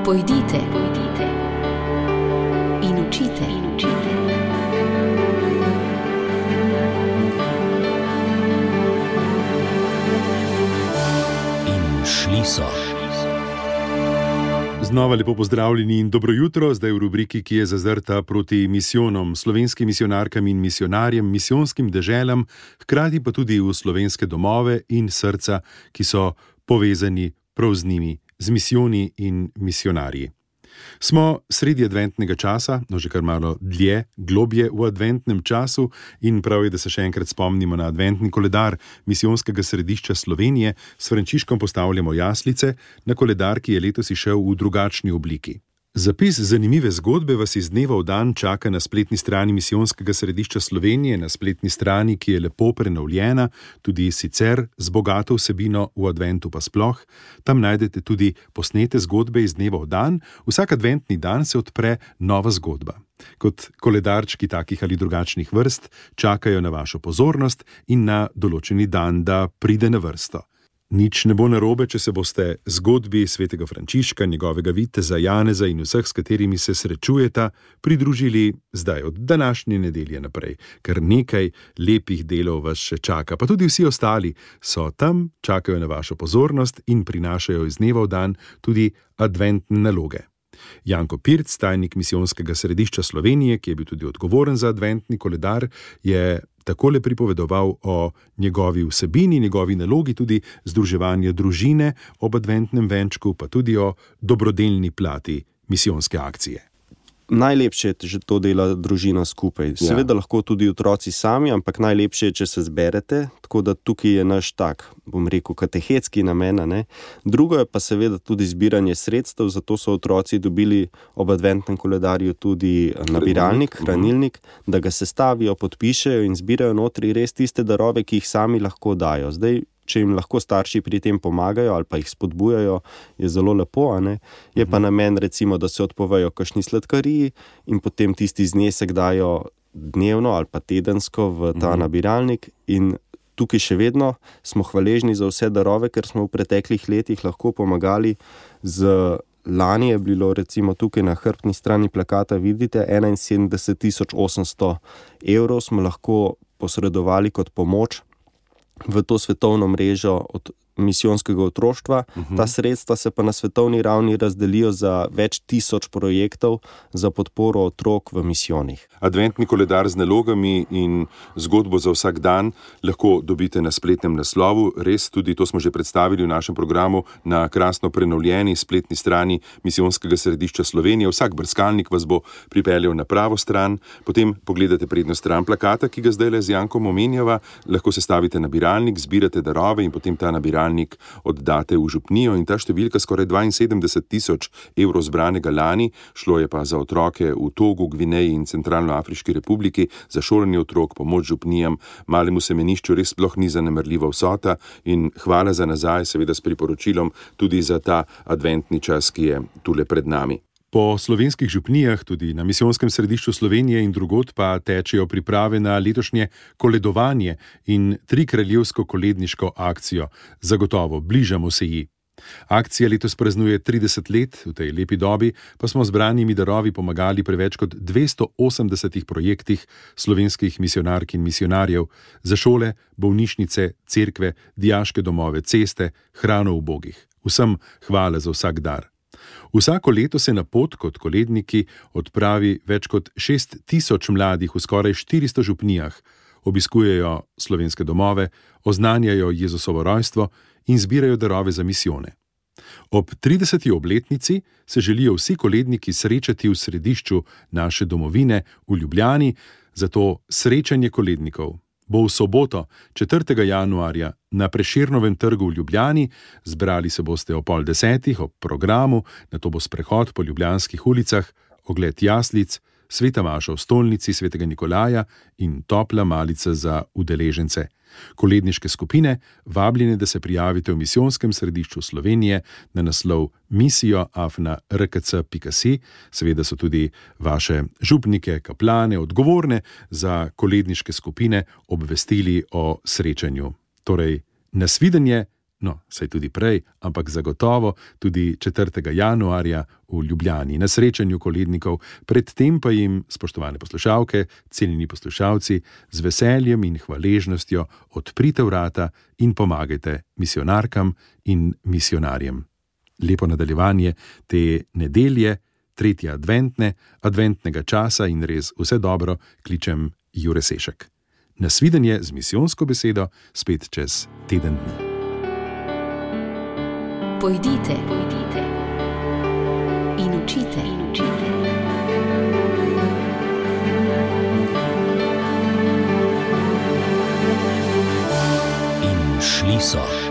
Pojdite in učite. In šli so. Znova lepo pozdravljeni in dobro jutro, zdaj v rubriki, ki je zazrta proti misijonom, slovenskim misionarkam in misionarjem, misijonskim deželam, hkrati pa tudi v slovenske domove in srca, ki so povezani prav z njimi, z misijoni in misionarji. Smo sredi adventnega časa, že kar malo dlje, globje v adventnem času in prav je, da se še enkrat spomnimo na adventni koledar Misijonskega središča Slovenije. S Frančiškom postavljamo jaslice na koledar, ki je letos izšel v drugačni obliki. Zapis zanimive zgodbe vas iz dneva v dan čaka na spletni strani Misijonskega središča Slovenije, na spletni strani, ki je lepo prenovljena, tudi sicer z bogato vsebino, v adventu pa sploh. Tam najdete tudi posnete zgodbe iz dneva v dan. Vsak adventni dan se odpre nova zgodba. Kot koledarčki takih ali drugačnih vrst čakajo na vašo pozornost in na določeni dan, da pride na vrsto. Nič ne bo narobe, če se boste zgodbi svetega Frančiška, njegovega viteza Janeza in vseh, s katerimi se srečujeta, pridružili zdaj od današnje nedelje naprej. Kar nekaj lepih delov vas še čaka, pa tudi vsi ostali so tam, čakajo na vašo pozornost in prinašajo iz dneva v dan tudi adventne naloge. Janko Pirc, tajnik Misijonskega središča Slovenije, ki je bil tudi odgovoren za adventni koledar, je takole pripovedoval o njegovi vsebini, njegovi nalogi, tudi združevanje družine ob adventnem venčku, pa tudi o dobrodelni plati misijonske akcije. Najlepše je, če to dela družina skupaj. Seveda lahko tudi otroci sami, ampak najlepše je, če se zberete, tako da tukaj je naš katehetski namen. Drugo je pa seveda tudi zbiranje sredstev, zato so otroci dobili ob adventnem koledarju tudi nabiralnik, hranilnik, da ga sestavijo, podpišejo in zbirajo notri res tiste darove, ki jih sami lahko dajo. Zdaj, če jim lahko starši pri tem pomagajo ali pa jih spodbujajo, je zelo lepo, Je pa namen, recimo, da se odpovejo kakšni sladkariji in potem tisti znesek dajo dnevno ali pa tedensko v ta nabiralnik. In tukaj še vedno smo hvaležni za vse darove, ker smo v preteklih letih lahko pomagali Lani je bilo recimo tukaj na hrbtni strani plakata, vidite, 71.800 evrov smo lahko posredovali kot pomoč v to svetovno mrežo od misijonskega otroštva. Ta sredstva se pa na svetovni ravni razdelijo za več tisoč projektov za podporo otrok v misijonih. Adventni koledar z nalogami in zgodbo za vsak dan lahko dobite na spletnem naslovu. Res, tudi to smo že predstavili v našem programu na krasno prenovljeni spletni strani Misijonskega središča Slovenije. Vsak brskalnik vas bo pripeljal na pravo stran. Potem pogledate prednjo stran plakata, ki ga zdajle z Jankom omenjava. Lahko sestavite nabiralnik, zbirate darove in potem ta nabiralnik oddate v župnijo in ta številka skoraj 72.000 evrov zbranega lani, šlo je pa za otroke v Togu, Gvineji in Centralnoafriški republiki, za šolanje otrok, pomoč župnijam, malemu semenišču res sploh ni zanemarljiva vsota in hvala za nazaj, seveda s priporočilom tudi za ta adventni čas, ki je tule pred nami. Po slovenskih župnijah, tudi na Misionskem središču Slovenije in drugod pa tečejo priprave na letošnje koledovanje in trikraljevsko koledniško akcijo. Zagotovo, bližamo se ji. Akcija letos praznuje 30 let, v tej lepi dobi pa smo zbranimi darovi pomagali pri več kot 280 projektih slovenskih misionark in misionarjev za šole, bolnišnice, cerkve, dijaške domove, ceste, hrano ubogih. Vsem hvala za vsak dar. Vsako leto se na pot kot koledniki odpravi več kot 6.000 mladih v skoraj 400 župnijah, obiskujejo slovenske domove, oznanjajo Jezusovo rojstvo in zbirajo darove za misijone. Ob 30. obletnici se želijo vsi koledniki srečati v središču naše domovine v Ljubljani, zato srečanje kolednikov bo v soboto, 4. januarja, na Prešernovem trgu v Ljubljani. Zbrali se boste ob 9:30 ob programu, nato bo sprehod po ljubljanskih ulicah, ogled jaslic, sveta maša v stolnici svetega Nikolaja in topla malica za udeležence. Koledniške skupine vabljene, da se prijavite v Misijonskem središču Slovenije na naslov misijo@rkc.si. Seveda so tudi vaše župnike, kaplane, odgovorne za koledniške skupine obvestili o srečanju. Torej, nasvidenje no, saj tudi prej, ampak zagotovo tudi 4. januarja v Ljubljani na srečanju kolednikov, predtem pa jim, spoštovane poslušalke, cenjeni poslušalci, z veseljem in hvaležnostjo odprite vrata in pomagajte misijonarkam in misijonarjem. Lepo nadaljevanje te nedelje, 3. adventnega časa in res vse dobro kličem Jure Sešek. Nasvidenje z misijonsko besedo spet čez teden dni. Pojdite in učite. In šli so.